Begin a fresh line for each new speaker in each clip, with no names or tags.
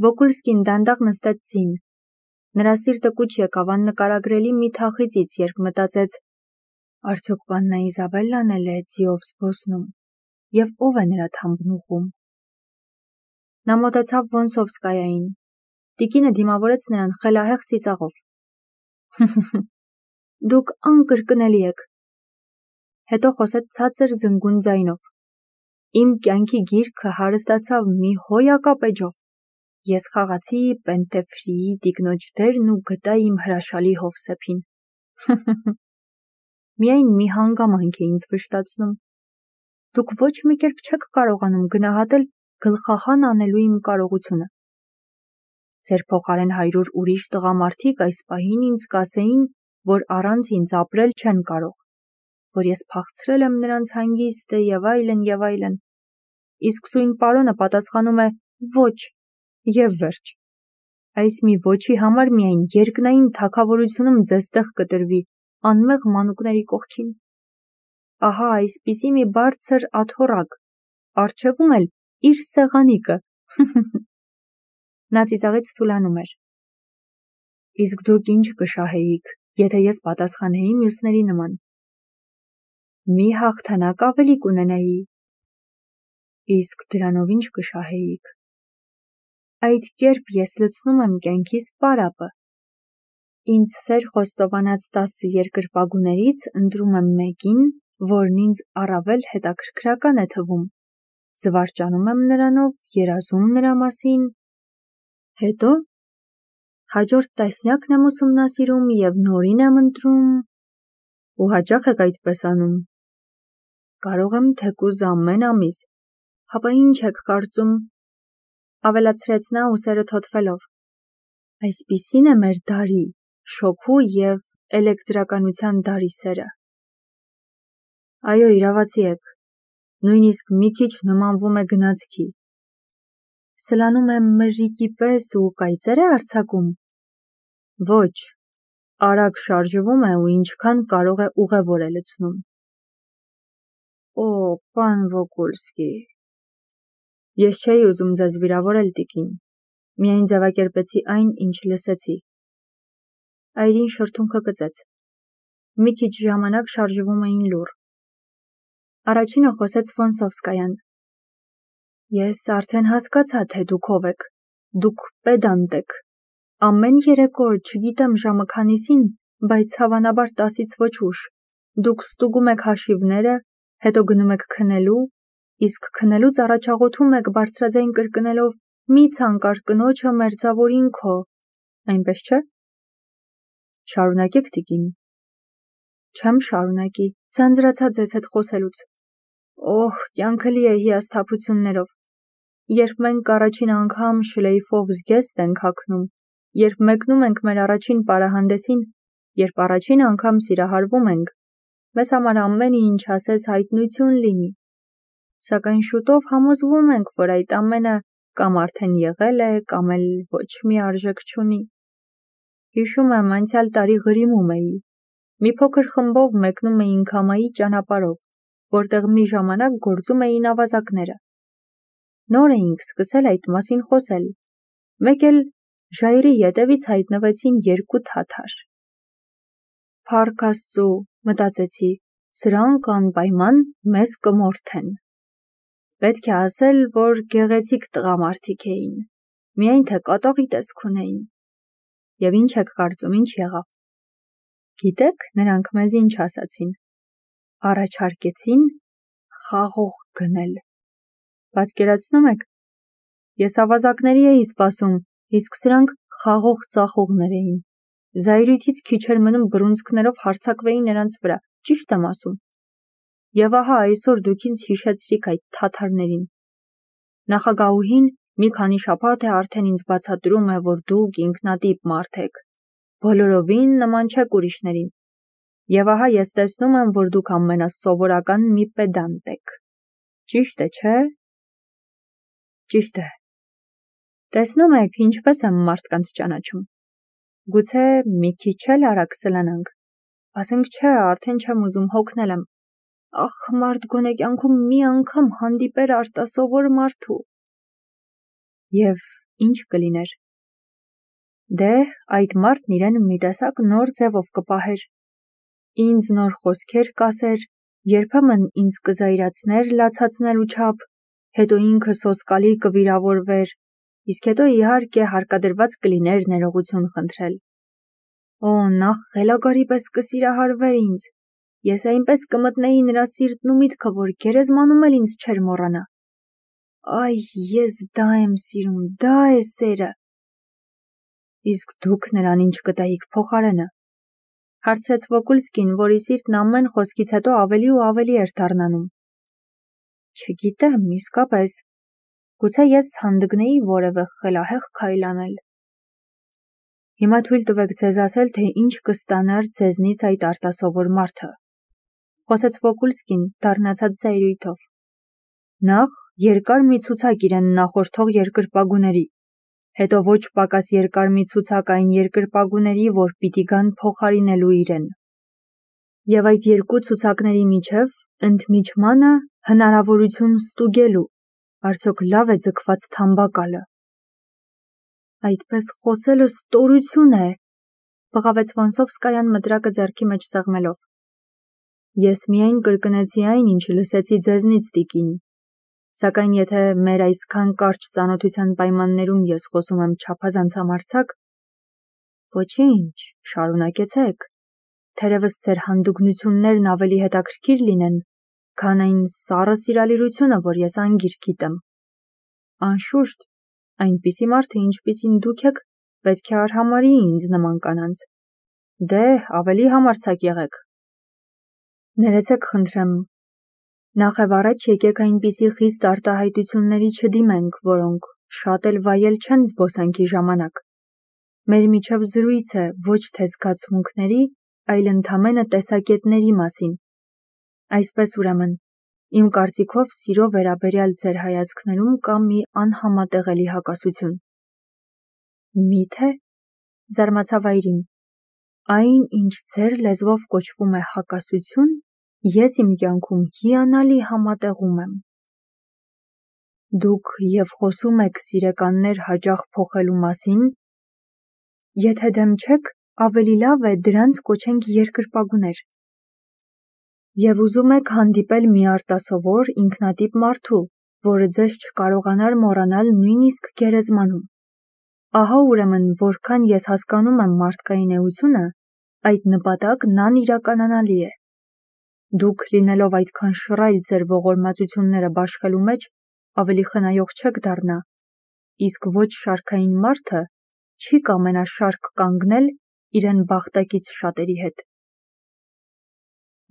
Վոկուլսկին դանդաղ նստեց ձին։ Նրա սիրտը կուչ եկավ աննկարագրելի մի թախիծից, երբ մտածեց. արդյոք պաննա Իզաբելլան էլ է ձիով զբոսնում, և ով է նրա թամբն ուղղում։ Նա մոտեցավ Վոնսովսկայային։ Տիկինը դիմավորեց նրան խելահեղ ծիծաղով։ Դուք անկրկնելի եք։ Հետո խոսեց ցածր զնգուն ձայնով։ Իմ կյանքի գիրքը հարստացավ մի հոյակապ էջով։ Ես խաղացի Պենտեֆրիի տիկնոջ դերն ու գտա իմ հրաշալի Հովսեփին։ Միայն մի հանգամանք է ինձ վշտացնում։ Դուք ոչ մի կերպ չեք կարողանում գնահատել գլխահան անելու իմ կարողությունը։ Ձեր փոխարեն 100 ուրիշ տղամարդիկ այս պահին ինձ կասեին, որ առանց ինձ ապրել չեն կարող, որ ես փախցրել եմ նրանց հանգիստը և այլն և այլն։ Իսկ սույն պարոնը պատասխանում է ոչ և վերջ։ Այս մի ոչի համար միայն երկնային թագավորությունում ձեզ տեղ կտրվի անմեղ մանուկների կողքին։ Ահա այսպիսի մի բարձր աթոռակ, առջևում էլ իր սեղանիկը։ Նա ծիծաղից թուլանում էր։ Իսկ դուք ինչ կշահեիք, եթե ես պատասխանեի մյուսների նման։ Մի հաղթանակ ավելի կունենայի։ Իսկ դրանով ինչ կշահեիք։ Այդ կերպ ես լցնում եմ կյանքիս պարապը։ Ինձ սեր խոստովանած 10 երկրպագուներից ընտրում եմ մեկին, որն ինձ առավել հետաքրքրական է թվում, զվարճանում եմ նրանով, երազում նրա մասին, հետո հաջորդ տասնյակն եմ ուսումնասիրում և նորին եմ ընտրում, ու հաճախ եք այդպես անում։ Կարող եմ թեկուզ ամեն ամիս, հապա ինչ եք կարծում, ավելացրեց նա ուսերը թոթվելով։ Այսպիսին է մեր դարի, շոգու և էլեկտրականության դարի սերը։ Այո, իրավացի եք, նույնիսկ մի քիչ նմանվում է գնացքի։ Սլանում է մրրիկի պես ու կայծեր է արձակում։ Ոչ, արագ շարժվում է ու ինչքան կարող է ուղևոր է լցնում։ Օ, պան Վոկուլսկի։ Ես չէի ուզում ձեզ վիրավորել, տիկին, միայն ձևակերպեցի այն, ինչ լսեցի։ Այրին շրթունքը կծեց։ Մի քիչ ժամանակ շարժվում էին լուռ։ Առաջինը խոսեց Վոնսովսկայան։ Ես արդեն հասկացա, թե դուք ով եք։ Դուք պեդանտ եք։ Ամեն երեկո, չգիտեմ ժամը քանիսին, բայց հավանաբար 10-ից ոչ ուշ, դուք ստուգում եք հաշիվները, հետո գնում եք քնելու, իսկ քնելուց առաջաղոթում եք բարձրաձայն կրկնելով. մի ցանկար կնոջը մերձավորին քո, այնպես չէ։ Շարունակեք, տիկին։ Չեմ շարունակի, ձանձրացա ձեզ հետ խոսելուց։ Օհ, կյանքը լի է հիասթափություններով։ Երբ մենք առաջին անգամ շլեյֆով զգեստ ենք հագնում, երբ մեկնում ենք մեր առաջին պարահանդեսին, երբ առաջին անգամ սիրահարվում ենք, մեզ համար ամեն ինչ ասես հայտնություն լինի։ Սակայն շուտով համոզվում ենք, որ այդ ամենը կամ արդեն եղել է, կամ էլ ոչ մի արժեք չունի։ Հիշում եմ, անցյալ տարի Ղրիմում էի։ Մի փոքր խմբով մեկնում էինք Համայի ճանապարհով, որտեղ մի ժամանակ գործում էին ավազակները։ Նոր էինք սկսել այդ մասին խոսել։ Մեկ էլ ժայռի ետևից հայտնվեցին 2 թաթար։ Փառք Աստծո, մտածեցի, սրանք անպայման մեզ կմորթեն։ Պետք է ասել, որ գեղեցիկ տղամարդիկ էին, միայն թե կատաղի տեսք ունեին։ Եվ ինչ եք կարծում, ինչ եղավ։ Գիտեք, նրանք մեզ ինչ ասացին։ Առաջարկեցին խաղող գնել։ Պատկերացնում եք։ Ես ավազակների էի սպասում, իսկ սրանք խաղող ծախողներ էին։ Զայրույթից քիչ էր մնում բռունցքներով հարձակվեի նրանց վրա, ճիշտ եմ ասում։ Եվ ահա այսօր դուք ինձ հիշեցրիք այդ թաթարներին։ Նախագահուհին մի քանի շաբաթ է արդեն ինձ բացատրում է, որ դուք ինքնատիպ մարդ եք, բոլորովին նման չեք ուրիշներին։ Եվ ահա ես տեսնում եմ, որ դուք ամենասովորական մի պեդանտ եք։ Ճիշտ է, չէ՞։ Ճիշտ է։ Տեսնում եք, ինչպես եմ մարդկանց ճանաչում։ Գուցե մի քիչ էլ արագ սլանանք։ Ասենք չէ, արդեն չեմ ուզում, հոգնել եմ։ Ախ, մարդ գոնե կյանքում մի անգամ հանդիպեր արտասովոր մարդու։ Եվ ինչ կլիներ։ Դե, այդ մարդն իրեն մի տեսակ նոր ձևով կպահեր, ինձ նոր խոսքեր կասեր, երբեմն ինձ կզայրացներ լացացնելու չափ, հետո ինքը սոսկալի կվիրավորվեր, իսկ հետո իհարկե հարկադրված կլիներ ներողություն խնդրել։ Օ, նախ խելագարի պես կսիրահարվեր ինձ, ես այնպես կմտնեի նրա սիրտն ու միտքը, որ գերեզմանում էլ ինձ չէր մոռանա։ Այ, ես դա եմ սիրում, դա է սերը։ Իսկ դուք նրան ինչ կտայիք փոխարենը, հարցրեց Վոկուլսկին, որի սիրտն ամեն խոսքից հետո ավելի ու ավելի էր դառնանում։ Չգիտեմ, իսկապես, գուցե ես հանդգնեի որևէ խելահեղ քայլ անել։ Հիմա թույլ տվեք ձեզ ասել, թե ինչ կստանար ձեզնից այդ արտասովոր մարդը, խոսեց Վոկուլսկին դառնացած զայրույթով։ Նախ երկար մի ցուցակ իրեն նախորդող երկրպագուների, հետո ոչ պակաս երկար մի ցուցակ այն երկրպագուների, որ պիտի գան փոխարինելու իրեն։ Եվ այդ երկու ցուցակների միջև ընդմիջմանը հնարավորություն ստուգելու, արդյոք լավ է ձգված թամբակալը։ Այդպես խոսելը ստորություն է, բղավեց Վոնսովսկայան մտրակը ձեռքի մեջ սեղմելով։ Ես միայն կրկնեցի այն, ինչ լսեցի ձեզնից, տիկին, սակայն եթե մեր այսքան կարճ ծանոթության պայմաններում ես խոսում եմ չափազանց համարձակ, ոչինչ, շարունակեցեք, թերևս ձեր հանդգնություններն ավելի հետաքրքիր լինեն, քան այն սառը սիրալիրությունը, որ ես անգիր գիտեմ։ Անշուշտ, այնպիսի մարդը, ինչպիսին դուք եք, պետք է արհամարհի ինձ նման կանանց։ Դե, ավելի համարձակ եղեք։ Ներեցեք խնդրեմ, նախևառաջ եկեք այնպիսի խիստ արտահայտությունների չդիմենք, որոնք շատ էլ վայել չեն զբոսանքի ժամանակ։ Մեր միջև զրույց է ոչ թե զգացմունքների, այլ ընդամենը տեսակետների մասին։ Այսպես ուրեմն, իմ կարծիքով սիրո վերաբերյալ ձեր հայացքներում կա մի անհամատեղելի հակասություն։ Մի՞թե, զարմացավ այրին, այն, ինչ ձեր լեզվով կոչվում է հակասություն, ես իմ կյանքում հիանալի համատեղում եմ։ Դուք և խոսում եք սիրեկաններ հաճախ փոխելու մասին, եթե դեմ չեք, ավելի լավ է դրանց կոչենք երկրպագուներ։ Եվ ուզում եք հանդիպել մի արտասովոր ինքնատիպ մարդու, որը ձեզ չկարողանար մոռանալ նույնիսկ գերեզմանում։ Ահա ուրեմն որքան ես հասկանում եմ մարդկային էությունը, այդ նպատակն անիրականանալի է։ Դուք լինելով այդքան շռայլ ձեր ողորմածությունները բաշխելու մեջ, ավելի խնայող չեք դառնա, իսկ ոչ շարքային մարդը չի կամենա շարք կանգնել իրեն բախտակից շատերի հետ։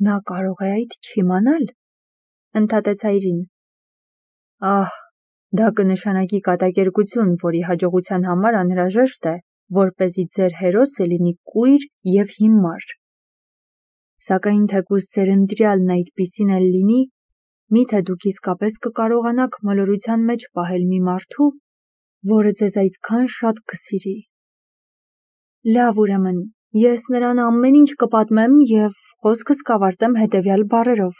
Նա կարող է այդ չիմանալ, ընդհատեց այրին։ Ահ, դա կնշանակի կատակերգություն, որի հաջողության համար անհրաժեշտ է, որպեսզի ձեր հերոսը լինի կույր և հիմար։ Սակայն թեկուզ ձեր ընտրյալն այդպիսին էլ լինի, միթե դուք իսկապես կկարողանաք մոլորության մեջ պահել մի մարդու, որը ձեզ այդքան շատ կսիրի։ Լավ ուրեմն, ես նրան ամեն ինչ կպատմեմ և խոսքս կավարտեմ հետևյալ բառերով.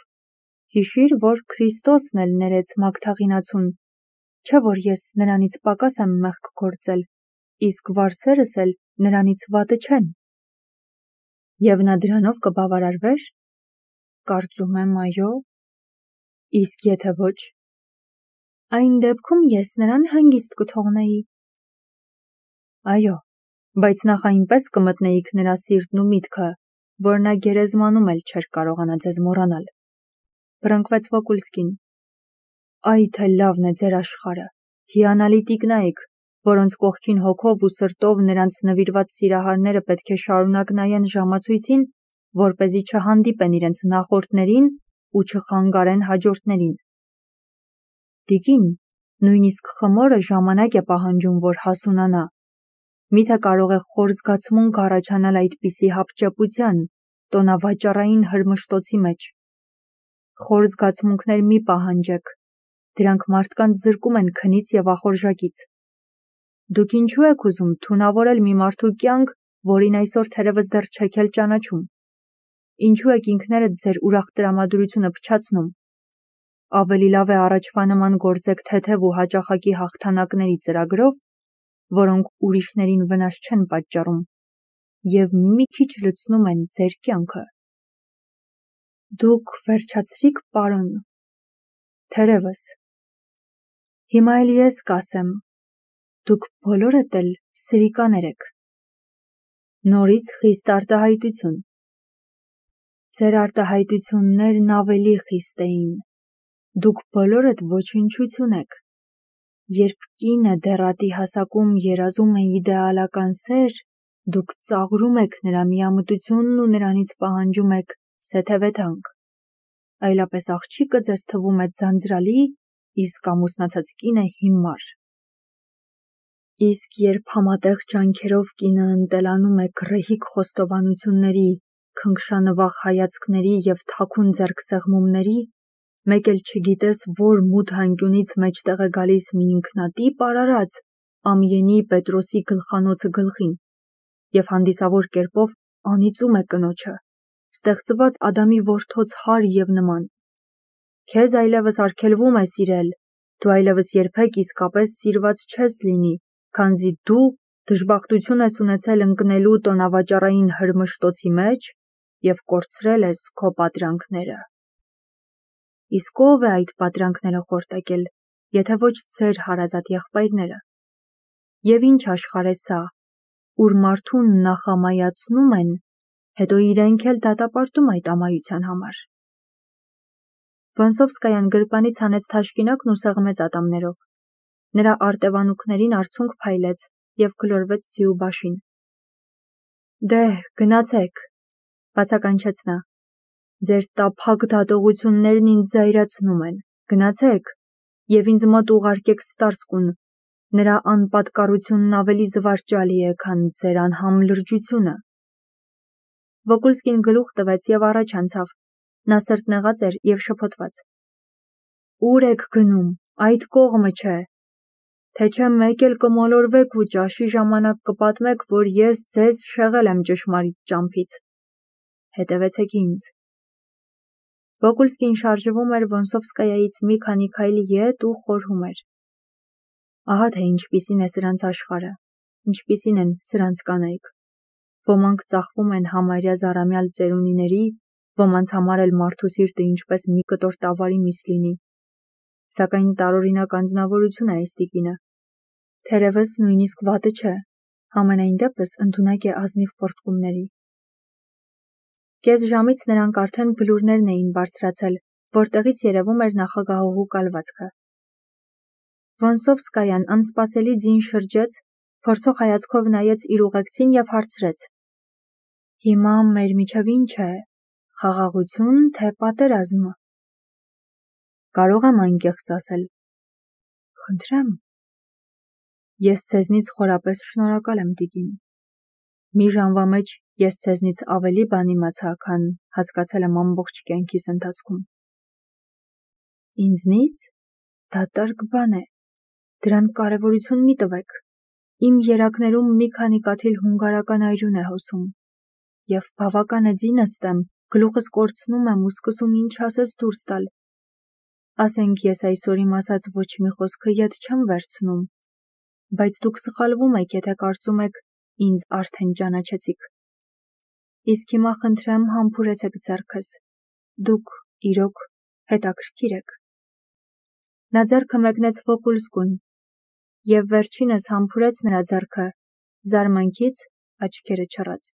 Հիշիր, որ Քրիստոսն էլ ներեց մագթաղինացուն, չէ՞ որ ես նրանից պակաս եմ մեղք գործել, իսկ վարսերս էլ նրանից վատը չեն։ Եվ նա դրանով կբավարարվեր։ Կարծում եմ, այո։ Իսկ եթե ոչ, այն դեպքում ես նրան հանգիստ կթողնեի։ Այո, բայց նախ այնպես կմտնեիք նրա սիրտն ու միտքը, որ նա գերեզմանում էլ չէր կարողանա ձեզ մոռանալ, բռնկվեց Վոկուլսկին։ Այ թե լավն է ձեր աշխարհը, հիանալի տիկնայք, որոնց կողքին հոգով ու սրտով նրանց նվիրված սիրահարները պետք է շարունակ նայեն ժամացույցին, որպեսզի չհանդիպեն իրենց նախորդներին ու չխանգարեն հաջորդներին։ Տիկին, նույնիսկ խմորը ժամանակ է պահանջում, որ հասունանա։ Միթե կարող է խոր զգացմունք առաջանալ այդպիսի հապճեպության, տոնավաճառային հրմշտոցի մեջ։ Խոր զգացմունքներ մի պահանջեք, դրանք մարդկանց զրկում են քնից և ախորժակից։ Դուք ինչու եք ուզում թունավորել մի մարդու կյանք, որին այսօր թերևս դեռ չեք էլ ճանաչում։ Ինչու եք ինքներդ ձեր ուրախ տրամադրությունը փչացնում։ Ավելի լավ է առաջվա նման գործեք թեթև ու հաճախակի հաղթանակների ծրագրով, որոնք ուրիշներին վնաս չեն պատճառում և մի քիչ լցնում են ձեր կյանքը։ Դուք վերջացրիք, պարոն։ Թերևս։ Հիմա էլ ես կասեմ, դուք բոլորդ էլ սրիկաներ եք։ Նորից խիստ արտահայտություն։ Ձեր արտահայտություններն ավելի խիստ էին։ Դուք բոլորդ ոչնչություն եք։ Երբ կինը դեռատի հասակում երազում է իդեալական սեր, դուք ծաղրում եք նրա միամտությունն ու նրանից պահանջում եք սեթևեթանք։ Այլապես աղջիկը ձեզ թվում է ձանձրալի, իսկ ամուսնացած կինը հիմար։ Իսկ երբ համատեղ ջանքերով կինը ընտելանում է գռեհիկ խոստովանությունների, քնքշանվախ հայացքների և թաքուն ձեռքսեղմումների, մեկ էլ չգիտես որ մութ անկյունից մեջտեղ է գալիս մի ինքնատիպ արարած Ամիենի Պետրոսի գլխանոցը գլխին և հանդիսավոր կերպով անիծում է կնոջը, ստեղծված Ադամի որդոց հարի և նման։ Քեզ այլևս արգելվում է սիրել, դու այլևս երբեք իսկապես սիրված չես լինի, քանզի դու դժբախտություն ես ունեցել ընկնելու տոնավաճառային հրմշտոցի մեջ և կորցրել ես քո պատրանքները։ Իսկ ո՞վ է այդ պատրանքները խորտակել, եթե ոչ ձեր հարազատ եղբայրները։ Եվ ինչ աշխարհ է սա, ուր մարդուն նախամայացնում են, հետո իրենք էլ դատապարտում այդ ամայության համար։ Վոնսովսկայան գրպանից հանեց թաշկինակն ու սեղմեց ատամներով։ Նրա արտևանուքներին արցունք փայլեց և գլորվեց ձիու բաշին։ Դե՛հ, գնացեք, բացականչեց նա։ Ձեր տափակ դատողություններն ինձ զայրացնում են, գնացեք, և ինձ մոտ ուղարկեք ստարցկուն, նրա անպատկառությունն ավելի զվարճալի է, քան ձեր անհամ լրջությունը։ Վոկուլսկին գլուխ տվեց և առաջ անցավ, նա սրտնեղած էր և շփոթված։ Ուր եք գնում, այդ կողմը չէ, թե չէ մեկ էլ կմոլորվեք ու ճաշի ժամանակ կպատմեք, որ ես ձեզ շեղել եմ ճշմարիտ ճամփից։ Հետևեցեք ինձ։ Վոկուլսկին շարժվում էր Վոնսովսկայայից մի քանի քայլ ետ ու խորհում էր։ Ահա թե ինչպիսին է սրանց աշխարհը, ինչպիսին են սրանց կանայք։ Ոմանք ծախվում են համարյա զառամյալ ծերունիների, ոմանց համար էլ մարդու սիրտը ինչպես մի կտոր տավարի միս լինի։ Սակայն տարօրինակ անձնավորություն է այս տիկինը։ Թերևս նույնիսկ վատը չէ, համենայն դեպս ընդունակ է ազնիվ պոռթկումների։ Կես ժամից նրանք արդեն բլուրներն էին բարձրացել, որտեղից երևում էր նախագահողու կալվածքը։ Վոնսովսկայան անսպասելի ձին շրջեց, փորձող հայացքով նայեց իր ուղեկցին և հարցրեց. Հիմա մեր միջև ինչ է, խաղաղություն, թե պատերազմ։ Կարող եմ անկեղծ ասել։ Խնդրեմ։ Ես ձեզնից խորապես շնորհակալ եմ, տիկին։ Մի ժամվա մեջ ես ձեզնից ավելի բան իմացա, քան հասկացել եմ ամբողջ կյանքիս ընթացքում։ Ինձնից։ Դա տարգ բան է։ Դրան կարևորություն մի տվեք։ Իմ երակներում մի քանի կաթիլ հունգարական այրուն է հոսում։ Եվ բավական է ձի նստեմ, գլուխս կորցնում եմ ու սկսում ինչ ասես դուրս տալ։ Ասենք ես այսօր իմ ասած ոչ մի խոսքը ետ չեմ վերցնում, բայց դուք սխալվում եք, եթե կարծում եք ինձ արդեն ճանաչեցիք։ Իսկ հիմա խնդրեմ համբուրեցեք ձեռքս, դուք իրոք հետաքրքիր եք։ Նա ձեռքը մեկնեց Վոկուլսկուն և վերջինս համբուրեց նրա ձեռքը, զարմանքից աչքերը չռած։